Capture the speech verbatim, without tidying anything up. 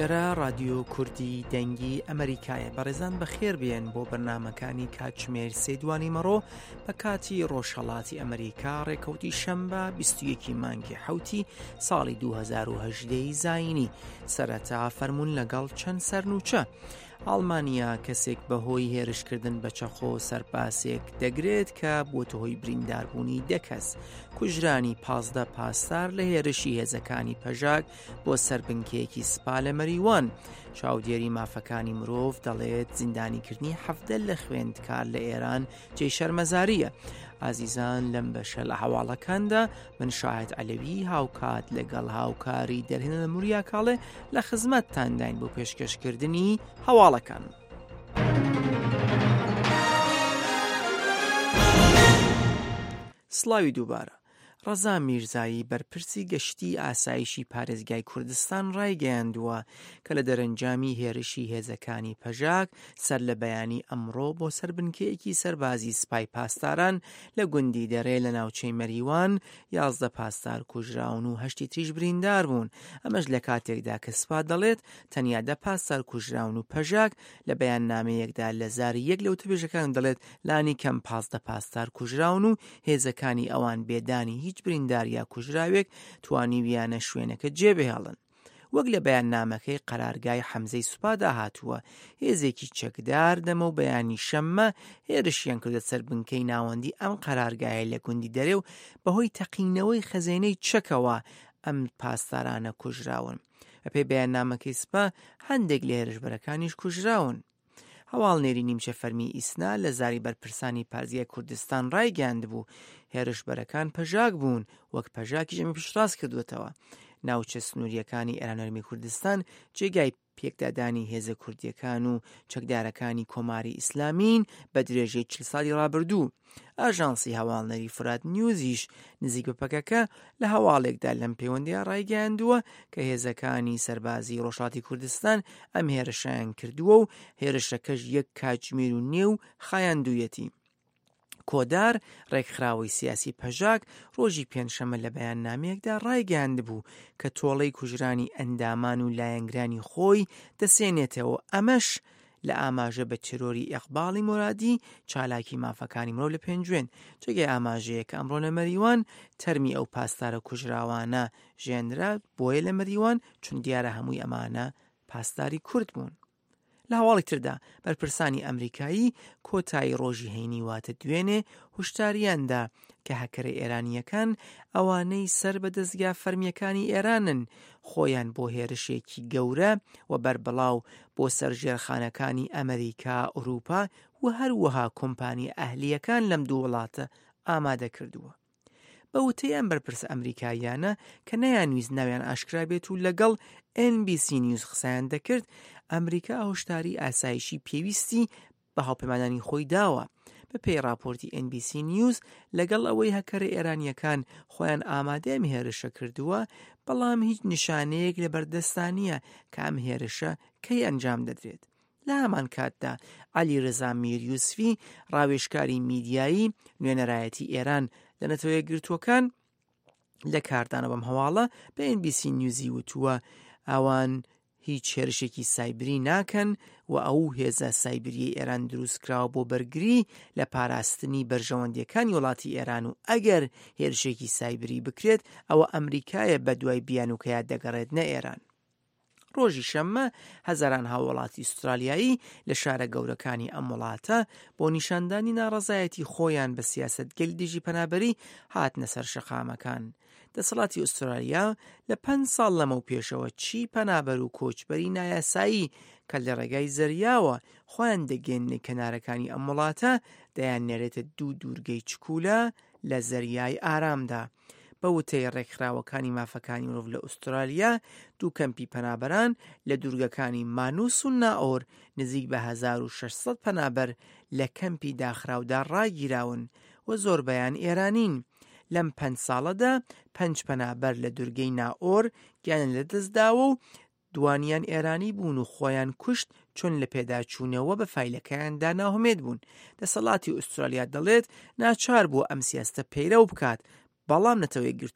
ئێرە ڕادیۆ کوردی دەنگی ئەمریکایە. بەڕێزان بەخێر بێن بۆ بەرنمەکانی کاتژمێر سێ دوانی مەڕۆ بە کاتی ڕۆژهەڵاتی ئەمریکا، ڕێکەوتی شەمبە بیست و یەکی مانگی حەوتی ساڵی دوو هەزار و هەژدە زایینی. سەرەتا فەرمونون لەگەڵ چەند سەرنوچە. ئەڵمانیا کەسێک بەهۆی هێرشکردن بە چەقۆ سەرپاسێک دەگرێت کە بووەتە هۆی برینداربوونی دە کەس. کوژرانی پازدە پاسدار لە هێرشی هێزەکانی پەژاک بۆ سەر بنکەیەکی سپا لە مەریوان. چاودێری مافەکانی مرۆڤ دەڵێت زیندانیکردنی حەفتە لە خوێندکار لە ئێران جێی شەرمەزاریە. ئازیزان لەم بەشە لە هەواڵەکاندا من شاهد عەلەوی هاوکات لەگەڵ هاوکاری دەرهێنەر موریا کاڵێ لە خزمەتتانداین بۆ پێشکەشکردنی هەواڵەکان. سڵاوی دووبارە. ڕەزا میرزایی بەرپرسی گەشتی ئاسایشی پارێزگای کوردستان ڕایگەیاندووە کە لە دەرەنجامی هێرشی هێزەکانی پەژاک سەر لە بەیانی ئەمڕۆ بۆ سەر بنکەیەکی سەربازی سپای پاسداران لە گوندی دەرێ لە ناوچەی مەریوان یازدە پاسدار کوژراون و هەشتی تریش بریندار بوون. ئەمەش لە کاتێکدا کە سپا دەڵێت تەنیا دە پاسدار کوژراون و پەژاک لە بەیاننامەیەکدا لە زاری یەک لە وتەبێژەکان دەڵێت لانی کەم پازدە پاسدار کوژراون و هێزەکانی ئەوان بێدانی هیچ بریندار یا کوژراوێک توانیویانە شوێنەکە جێبهێڵن. وەک لە بەیاننامەکەی قەرارگای حەمزەی سوپادا هاتووە، هێزێکی چەکدار دەمە و بەیانی شەممە هێرشیان کردە سەر بنکەی ناوەندی ئەم قەرارگایە لە گوندی دەرێ و بەهۆی تەقینەوەی خەزێنەی چەکەوە ئەم پاسدارانە کوژراون. بەپێی بەیاننامەکەی سوپا هەندێک لە هێرشبەرەکانیش کوژراون. هەواڵنێری نیمچە فەرمی ئیسنا لە زاری بەرپرسانی پارێزگای کوردستان ڕایگەیاندبوو هێرشبەرەکان پەژاک بوون، وەک پەژاکیش ئەمی پشتڕاست کردوێتەوە. ناوچە سنووریەکانی ئێران و هەرێمی کوردستان جێگای پێکدادانی هێزە کوردیەکان و چەکدارەکانی کۆماری ئیسلامین بە درێژەی چل ساڵی ڕابردوو. ئاژانسی هەواڵنێری فرات نیوزیش نزیک بە پەکەکە لە هەواڵێکدا لەم پەیوەندیە ڕایگەیاندووە کە هێزەکانی سەربازی ڕۆژهەڵاتی کوردستان ئەم هێرشیان کردووە و هێرشەکەش یەک کاتژمێر و نێو خایاندوویەتی. کۆدار ڕێکخراوەی سیاسی پەژاک ڕۆژی پێنجشەممە لە بەیاننامەیەکدا ڕایگەیاندبوو کە تۆڵەی کوژرانی ئەندامان و لایەنگرانی خۆی دەسێنێتەوە، ئەمەش لە ئاماژە بە تێرۆری ئیقباڵی مۆرادی چالاکی مافەکانی مرۆڤ لە پێنجوێن. جێگای ئاماژەیە کە ئەمڕۆ لە مەریوان تەرمی ئەو پاسدارە کوژراوانە ژێنرا، بۆیە لە مەریوان چون دیارە هەمووی ئەمانە پاسداری کورد بوون. لە هەواڵی تردا بەرپرسانی ئەمریکایی کۆتایی ڕۆژی هەینی واتە دوێنێ هوشداریاندا کە هەکەرە ئێرانیەکان ئەوانەی سەر بە دەستگا فەرمیەکانی ئێرانن خۆیان بۆ هێرشێکی گەورە و بەربڵاو بۆ سەر ژێرخانەکانی ئەمریکا، ئەوروپا و هەروەها کۆمپانیا ئەهلیەکان لەم دوو وڵاتە ئامادە کردووە. بە وتەی ئەم بەرپرسە ئەمریکاییانە کە نەیانویست ناویان ئاشکرا بێت و لەگەڵ ئێن بی سی نیوز قسەیان دەکرد، ئەمریکا هۆشداری ئاسایشی پێویستی بە هاوپەیمانانی خۆی داوە. بە پێی راپۆرتی ئێن بی سی نیوز لەگەڵ ئەوەی هەکەرە ئێرانیەکان خۆیان ئامادەی ئەم هێرشە کردووە، بەڵام هیچ نیشانەیەک لە بەردەستا نییە کە ئەم هێرشە کەی ئەنجام دەدرێت. لە هەمان کاتدا عەلی ڕەزا میر یوسفی ڕاوێژکاری میدیایی نوێنەرایەتی ئێران لە نەتەوە یەکگرتووەکان لە کاردانە بەم هەواڵە بە ئێن بی سی نیوزی وتووە ئەوان هیچ هێرشێکی سایبری ناکەن و ئەو هێزە سایبریەی ئێران دروستکراوە بۆ بەرگری لە پاراستنی بەرژەوەندیەکانی وڵاتی ئێران و ئەگەر هێرشێکی سایبری بکرێت ئەوە ئەمریکایە بە دوای بیانوکەیە دەگەڕێت نە ئێران. ڕۆژی شەممە هەزاران هاوڵاتی ئوسترالیایی لە شارە گەورەکانی ئەم وڵاتە بۆ نیشاندانی ناڕەزایەتی خۆیان بە سیاسەتگەل دژی پەنابەری هاتنە سەر شەقامەکان. دەسەڵاتی ئوسترالیا لە پەنج ساڵ لەمەو پێشەوە چی پەنابەر و کۆچبەری نایاسایی کە لە ڕێگای زەریاوە خۆیان دەگەێننە کەنارەکانی ئەم وڵاتە دەیان نێرێتە دوو دوورگەی چکولە لە زەریای ئارامدا. بە وتەی ڕێکخراوەکانی مافەکانی مرۆڤ لە ئوسترالیا، دوو کەمپی پەنابەران لە دوورگەکانی مانوس و نائۆر نزیک بە هەزار و شەش سەد پەنابەر لە کەمپی داخراودا ڕاگیراون و زۆربەیان ئێرانین. لەم پەنج ساڵەدا پەنج پەنابەر لە دوورگەی نائۆر گیانیان لەدەستداوە و دوانیان ئێرانی بوون و خۆیان کوشت چون لە پێداچوونەوە بە فایلەکەیاندا ناهومێد بوون. دەسەڵاتی ئوسترالیا دەڵێت ناچار بووە ئەم سیاستە پەیرەو بکات، بەڵام نەتەوە یەکگرتووەکان